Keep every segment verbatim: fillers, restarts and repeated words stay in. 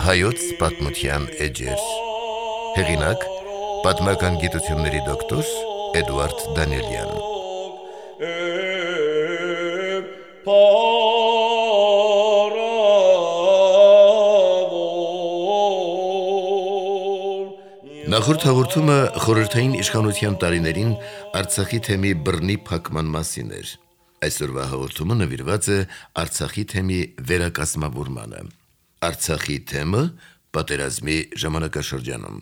Հայոց պատմության էջեր։ Հեղինակ՝ պատմական գիտությունների դոկտոր Էդուարդ Դանիելյան։ Նախորդ հաղորդումը խորհրդային իշխանության տարիներին Արցախի թեմի բռնի փակման մասին էր։ Այսօրվա հաղորդումը նվիրված է Արցախի թեմի վերակազմավորմանը։ Արցախի թեմը պատերազմի ժամանակաշրջանում։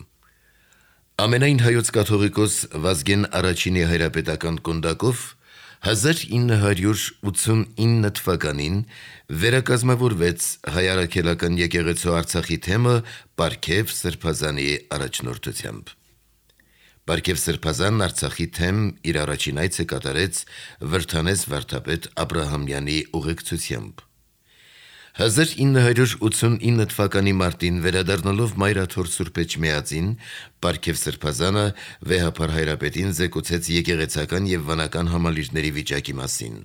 Ամենայն հայոց կաթողիկոս Վազգեն Առաջինի հայրապետական կոնդակով հազար ինը հարյուր ութսունինը թվականին վերակազմավորվեց հայ առաքելական եկեղեցու Արցախի թեմը Պարքև Սրբազանի առաջնորդությամբ։ Պարքև Սրբազանն Արցախի թեմ իր առաջին այցը կատարեց Վրթանես վարդապետ Աբրահամյանի ուղեկցությամբ։ հազար ինը հարյուր ութսունինը թվականի մարտին վերադառնալով Մայրաթոր Սուրբ Էջմիածին, Պարքև Սրբազանը վեհափար հայրապետին զեկուցեց եկեղեցական եւ վանական համալիրների վիճակի մասին։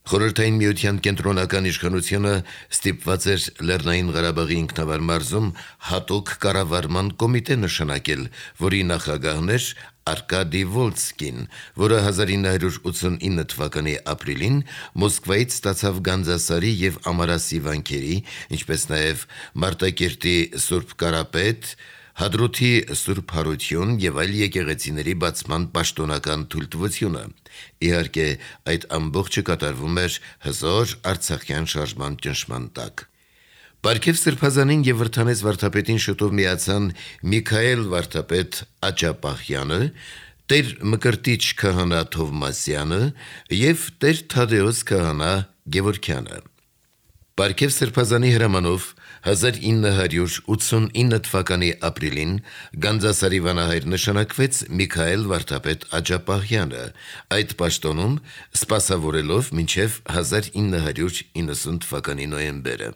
Խորհրդային միության կենտրոնական իշխանությունը ստիպված էր Լեռնային Ղարաբաղի ինքնավար մարզում հատուկ կառավարման կոմիտե նշանակել, որի նախագահն էր Արկադի Վոլսկին, որը հազար ինը հարյուր ութսունինը թվականի ապրիլին Մոսկվայից ստացավ Գանձասարի եւ Ամարասի վանքերի, ինչպես նաեւ Մարտակերտի Սուրբ Կարապետ, Հադրութի Սուրբ Հարություն եւ այլ եկեղեցիների բացման պաշտոնական թույլտվությունը։ Իհարկե, այդ ամբողջը կատարվում էր հզոր արցախյան շարժման ճնշման տակ։ Պարքև Սրբազանին եւ Վրթանես վարդապետին շուտով միացան Միքայել վարդապետ Աճապահյանը, Տեր Մկրտիչ քահանա Թովմասյանը եւ Տեր Թադեոս քահանա Գևորգյանը։ Պարքև Սրբազանի հրամանով հազար ինը հարյուր ութսունինը թվականի ապրիլին Գանձասարի վանահայր նշանակվեց Միքայել վարդապետ Աճապահյանը, այդ պաշտոնում սպասավորելով մինչև հազար ինը հարյուր իննսուն թվականի նոյեմբերը։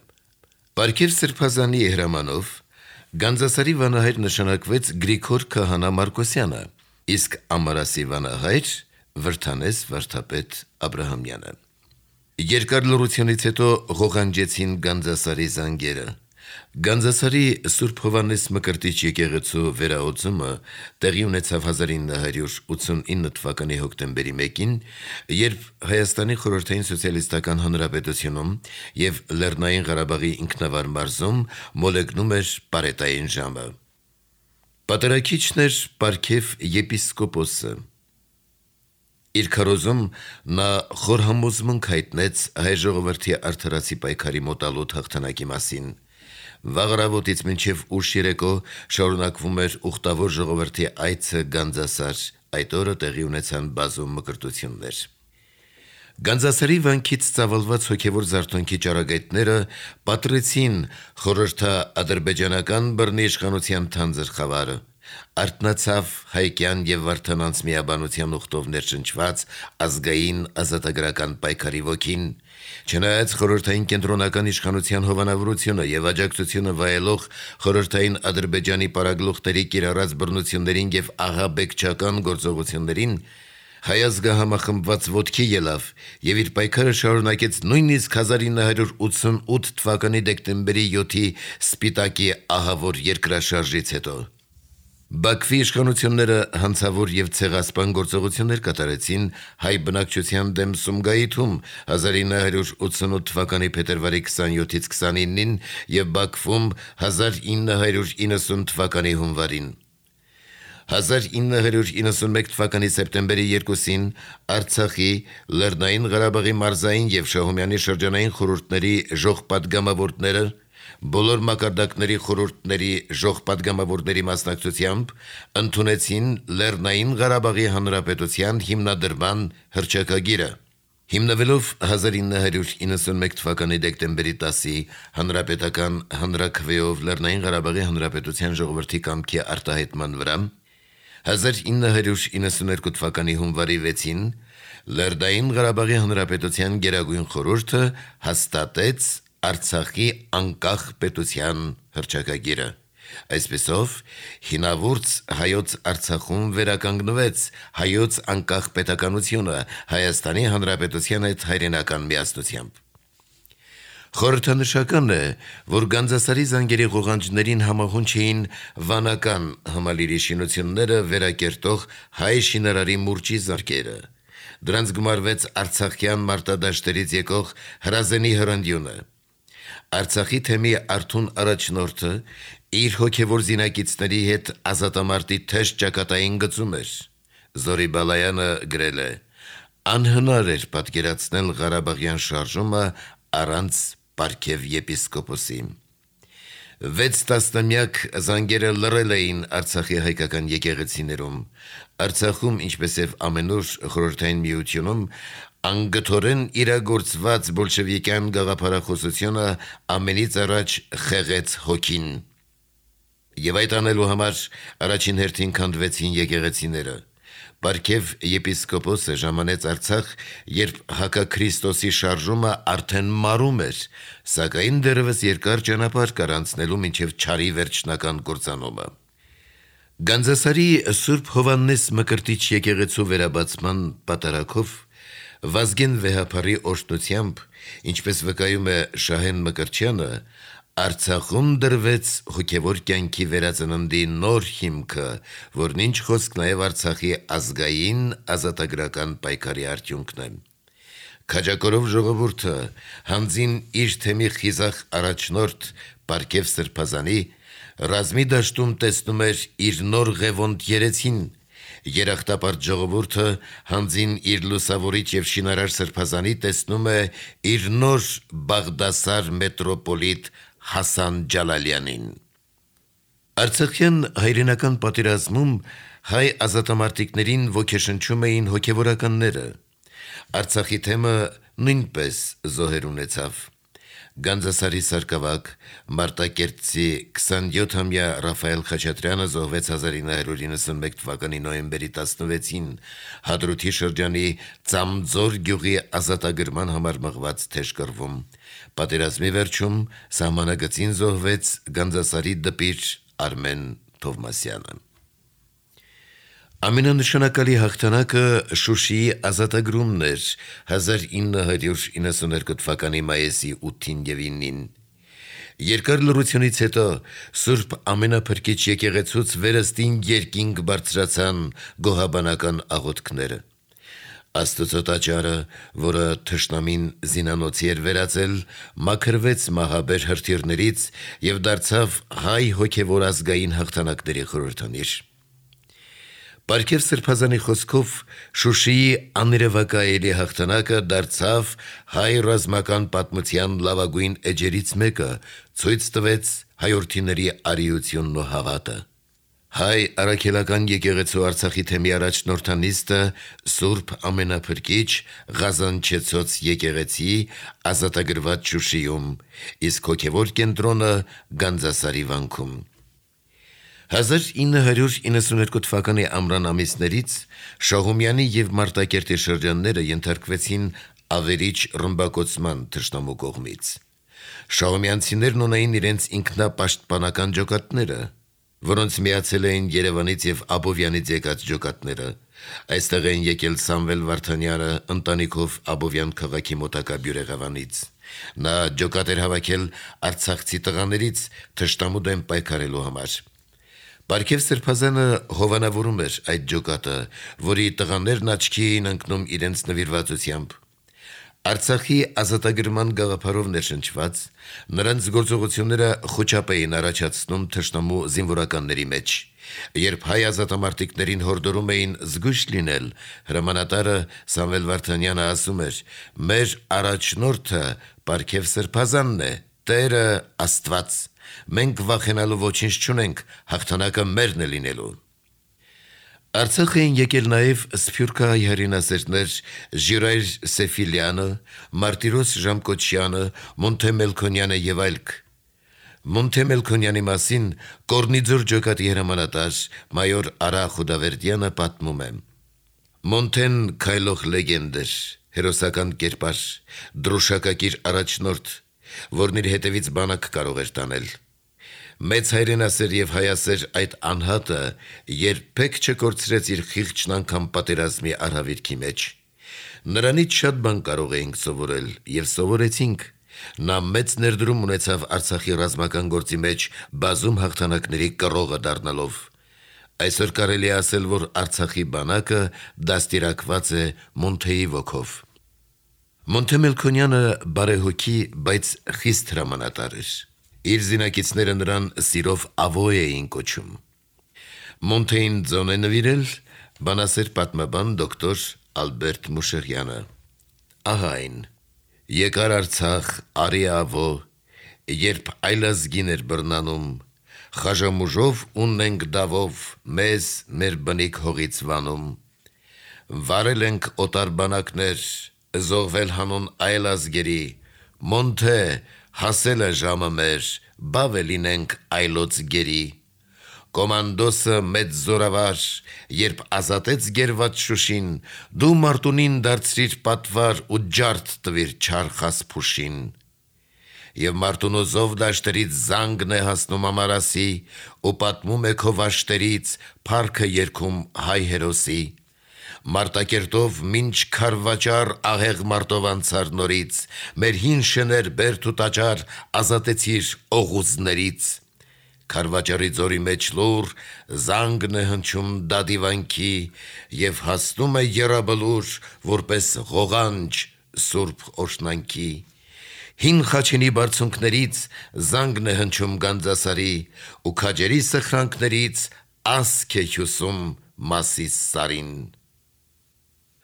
Պարքև Սրբազանի հրամանով Գանձասարի վանահայր նշանակվեց Գրիգոր քահանա Մարկոսյանը, իսկ Ամարասի վանահայր Վրթանես վարդապետ Աբրահամյանը։ Երկար լռությունից հետո ղողանջեցին Գանձասարի զանգերը։ Գանձասարի Սուրբ Հովհաննես Մկրտիչ եկեղեցու վերահոսումը տեղի ունեցավ հազար ինը հարյուր ութսունինը թվականի հոկտեմբերի մեկին, երբ Հայաստանի Խորհրդային Սոցիալիստական Հանրապետությունում եւ Լեռնային Ղարաբաղի ինքնավար մարզում մոլեգնում էր պարետային ժամը։ Պատերակիչն էր Պարքև եպիսկոպոսը։ Իր քարոզում նա խորհամոզմունք հայտնեց հայ ժողովրդի արդարացի պայքարի մոտալուտ հաղթանակի մասին։ Վաղարավոտից մինչև ուշ երեկո շարունակվում էր ուխտավոր ժողովրդի այցը Գանձասար, այդ օրը տեղի ունեցան բազում մկրտություններ։ Գանձասարի վանքից ծավալված հոգևոր զարթոնքի ճառագայթները պատռեցին խորհրդա-ադրբեջանական բռնի իշխանության թանձր խավարը։ Արթնացավ հայկյան եւ վարդանանց միաբանության ուխտով ներշնչված ազգային ազատագրական պայքարի ոգին։ Չնայած խորհրդային կենտրոնական իշխանության հովանավորությունը եւ աջակցությունը վայելող խորհրդային Ադրբեջանի պարագլուխների կիրառած բռնություններին եւ աղաբեկչական գործողություններին, հայ ազգը համախմբված ոտքի ելավ եւ իր պայքարը շարունակեց նույնիսկ հազար ինը հարյուր ութսունութ թվականի դեկտեմբերի յոթի Սպիտակի ահավոր երկրաշարժից հետո։ Բաքվի իշխանությունները հանցավոր եւ ցեղասպան գործողություններ կատարեցին հայ բնակչության դեմ Սումգայիթում հազար ինը հարյուր ութսունութ թվականի փետրվարի քսանյոթից քսանինին եւ Բաքվում հազար ինը հարյուր իննսուն թվականի հունվարին։ հազար ինը հարյուր իննսունմեկ թվականի սեպտեմբերի երկուսին Արցախի, Լեռնային Ղարաբաղի մարզային եւ Շահումյանի շրջանային խորհուրդների ժողպատգամավորները բոլոր մակարդակների խորհուրդների ժողպատգամավորների մասնակցությամբ ընդունեցին Լեռնային Ղարաբաղի Հանրապետության հիմնադրման հռչակագիրը։ Հիմնվելով հազար ինը հարյուր իննսունմեկ թվականի դեկտեմբերի տասի հանրապետական հանրաքվեով Լեռնային Ղարաբաղի Հանրապետության ժողովրդի կամքի արտահայտման վրա, հազար ինը հարյուր իննսուներկու թվականի հունվարի վեցին Լեռնային Ղարաբաղի Հանրապետության Գերագույն խորհուրդը հաստատեց Արցախի անկախ պետության հռչակագիրը։ Այսպիսով, հինավուրց հայոց Արցախում վերականգնվեց հայոց անկախ պետականությունը Հայաստանի Հանրապետության հետ հայրենական միասնությամբ։ Խորհրդանշական է, որ Գանձասարի զանգերի ղողանջներին համահունչ էին վանական Համալիրի շինությունները վերակերտող հայ շինարարի մուրճի զարկերը։ Դրանց գումարվեց արցախյան մարտադաշտերից եկող հրազենի հրանդյունը։ Արցախի թեմի արթուն առաջնորդը իր հոգևոր զինակիցների հետ ազատամարտի թեժ ճակատային գծում էր։ Զորի Բալայանը գրել է. «Անհնար էր պատկերացնել Ղարաբաղյան շարժումը առանց Պարքև եպիսկոպոսի»։ Վեց տասնամյակ զանգերը լռել էին Արցախի հայկական եկեղեցիներում։ Արցախում, ինչպես եւ ամենուր խորհրդային միությունում, անգթորեն իրագործված բոլշևիկյան գաղափարախոսությունը ամենից առաջ խեղեց հոգին։ Եվ այդ անելու համար առաջին հերթին քանդվեցին եկեղեցիները։ Պարքև եպիսկոպոսը ժամանեց Արցախ, երբ հակաքրիստոսի շարժումը արդեն մարում էր, սակայն դեռևս երկար ճանապարհ կար անցնելու մինչև չարի վերջնական կործանումը։ Գանձասարի Սուրբ Հովհաննես Մկրտիչ եկեղեցու վերաբացման պատարագով Վազգեն Վեհափարի օրհնությամբ, ինչպես վկայում է Շահեն Մկրտչյանը, Արցախում դրվեց հոգևոր կյանքի վերածննդի նոր հիմքը, որն ինչ խոսք նաև Արցախի ազգային ազատագրական պայքարի արդյունքն է։ Քաջակորով ժողովուրդը հանձին իր թեմի խիզախ առաջնորդ Պարքև Սրբազանի ռազմի դաշտում տեսնում էր իր նոր ղևոնդ երեցին, երախտապարտ ժողովուրդը հանձին իր լուսավորիչ եւ շինարար Սրբազանի տեսնում է իր նոր Բաղդասար մետրոպոլիտ Հասան Ջալալյանին։ Արցախյան հայրենական պատերազմում հայ ազատամարտիկներին ոգեշնչում էին հոգևորականները։ Արցախի թեմը նույնպես զոհեր ունեցավ։ Գանձասարի սարկավակ Մարտակերտցի քսանյոթամյա Ռաֆայել Խաչատրյանը զոհվեց հազար ինը հարյուր իննսունմեկ թվականի նոյեմբերի տասնվեցին Հադրութի շրջանի Ծամձոր գյուղի ազատագրման համար մղված թեժ կռվում։ Պատերազմի վերջում սահմանագծին զոհվեց Գանձասարի դպիր Արմեն Թովմասյանը։ Ամենանշանակալի հաղթանակը Շուշիի ազատագրումն էր հազար ինը հարյուր իննսուներկու թվականի մայիսի ութին եւ ինին։ Երկար լռությունից հետո Սուրբ Ամենափրկիչ եկեղեցուց վերստին երկինք բարձրացան գոհաբանական աղոթքները։ Աստծո տաճարը, որը թշնամին զինանոցի էր վերածել, մաքրվեց մահաբեր հրթիռներից եւ դարձավ հայ հոգևոր ազգային հաղթանակների խորհրդանիշ։ Պարքև Սրբազանի խոսքով Շուշիի աներևակայելի հաղթանակը դարձավ հայ ռազմական պատմության լավագույն էջերից մեկը, ցույց տվեց հայորդիների արիությունն ու հավատը։ Հայ առաքելական եկեղեցու Արցախի թեմի առաջնորդանիստը Սուրբ Ամենափրկիչ Ղազանչեցոց եկեղեցի ազատագրված Շուշիում, իսկ հոգևոր կենտրոնը Գանձասարի վանքում։ հազար ինը հարյուր իննսուներկու թվականի ամռան ամիսներից Շահումյանի եւ Մարտակերտի շրջանները ենթարկվեցին ավերիչ ռմբակոծման թշնամու կողմից։ Շահումյանցիներն ունեին իրենց ինքնապաշտպանական ջոկատները, որոնց միացել էին Երևանից եւ Աբովյանից եկած ջոկատները։ Այստեղ են եկել Սամվել Վարդանյանը ընտանիքով Աբովյան քաղաքի մոտակա Բյուրեղավանից։ Նա ջոկատ էր հավաքել արցախցի տղաներից թշնամու դեմ պայքարելու համար։ Պարքև Սրբազանը հովանավորում էր այդ ջոկատը, որի տղաներն աչքի էին ընկնում իրենց նվիրվածությամբ։ Արցախի ազատագրման գաղափարով ներշնչված նրանց գործողությունները խոչապ էին առաջացնում թշնամու զինվորականների մեջ։ Երբ հայ ազատամարտիկներին հորդորում էին զգույշ լինել, հրամանատարը Սամվել Վարդանյանը ասում էր. «Մեր առաջնորդը Պարքև Սրբազանն է, Տերը Աստված։ Մենք վախենալու ոչինչ չունենք, հաղթանակը մերն է լինելու»։ Արցախ էին եկել նաև սփյուռքահայ հայրենասերներ Ժիրայր Սեֆիլյանը, Մարտիրոս Ժամկոչյանը, Մոնթե Մելքոնյանը եւ այլք։ Մոնթե Մելքոնյանի մասին Կորնիձոր ջոկատի հրամանատար մայոր Արա Խուդավերդյանը պատմում է. Մոնթեն քայլող լեգենդ էր, հերոսական կերպար, դրոշակակիր առաջնորդ, որն իր հետևից բանակ կարող էր տանել։ Մեծ հայրենասեր եւ հայասեր այդ անհատը երբեք չկորցրեց իր խիղճն անգամ պատերազմի արհավիրքի մեջ։ Նրանից շատ բան կարող էինք սովորել եւ սովորեցինք։ Նա մեծ ներդրում ունեցավ Արցախի ռազմական գործի մեջ բազում հաղթանակների կռողը դառնալով։ Այսօր կարելի է ասել, որ Արցախի բանակը դաստիարակված է Մոնթեի ոգով։ Մոնթե Մելքոնյանը բարեհոգի, բայց խիստ հրամանատար էր։ Իր զինակիցները նրան սիրով Ավոյ էին կոչում։ Մոնթեին ձոն է նվիրել բանասեր պատմաբան դոկտոր Ալբերտ Մուշեղյանը։ Ահա այն. Եկար Արցախ արի Ավո, երբ այլազգին էր բռնանում, խաժամուժով ունենք դավով, մեզ մեր բնիկ հողից վանում։ Վարել ենք օտար բանակներ, զոհվել հանուն այլ ազգերի, Մոնթե, հասել է ժամը մեր, բավ է լինենք այլոց գերի։ Կոմանդոսը մեծ զորավար, երբ ազատեց գերված Շուշին, դու Մարտունին դարձրիր պատվար ու ջարդ տվիր չարխաս փուշին։ Եվ Մարտունու զով դաշտերից զանգն է հասնում ամարասի, ու պատմում է քո վաշտերից, փառքը երգում հայ հերոսի։ Մարտակերտով մինչ քարվաճար ահեղ մարտով անցար նորից, մեր հին շներ բերդ ու տաճար ազատեցիր օղուզներից։ Քարվաճարի ձորի մեջ լուր, զանգն է հնչում դադիվանքի, և հասնում է եռաբլուր, որպես ղողանջ սուրբ օրհնանքի։ Հին Խաչինի բարձունքներից զանգն է հնչում Գանձասարի, ու քաջերի սխրանքներից ասք է հյուսում Մասիս սարին։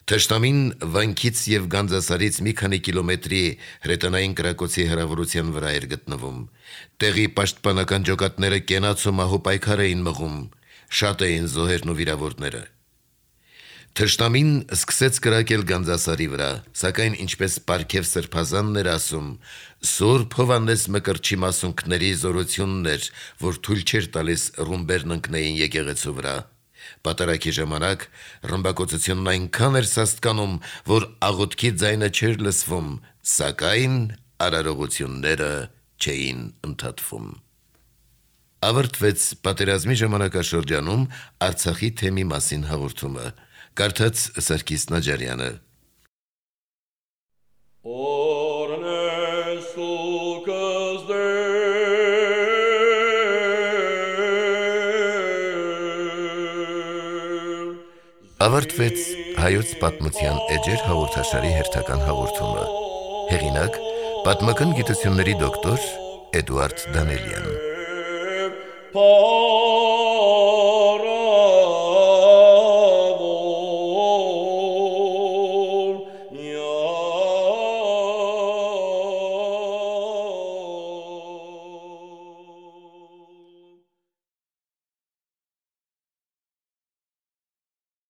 Թշնամին վանքից և Գանձասարից մի քանի կիլոմետրի հրետանային կրակոցի հեռավորության վրա էր գտնվում։ Տեղի պաշտպանական ջոկատները կենաց ու մահու պայքար էին մղում, շատ էին զոհերն ու վիրավորները։ Թշնամին սկսեց կրակել Գանձասարի վրա, սակայն ինչպես Պարքև Սրբազանն էր ասում, Սուրբ Հովհաննես Մկրտչի մասունքների զորությունն էր, որ թույլ չէր տալիս ռումբերն ընկնեին եկեղեցու վրա։ Պատարակի ժամանակ ռմբակոծությունն այնքան էր սաստկանում, որ աղոթքի ձայնը չէր լսվում, սակայն արարողությունները չէին ընդհատվում։ Ավարտվեց պատերազմի ժամանակաշրջանում Արցախի թեմի մասին հաղորդումը։ Կարդաց Սարգիս Նաջարյանը։ Ավարտվեց հայոց պատմության էջեր հաղորդաշարի հերթական հաղորդումը։ Հեղինակ՝ պատմական գիտությունների դոկտոր Էդուարդ Դանելյան։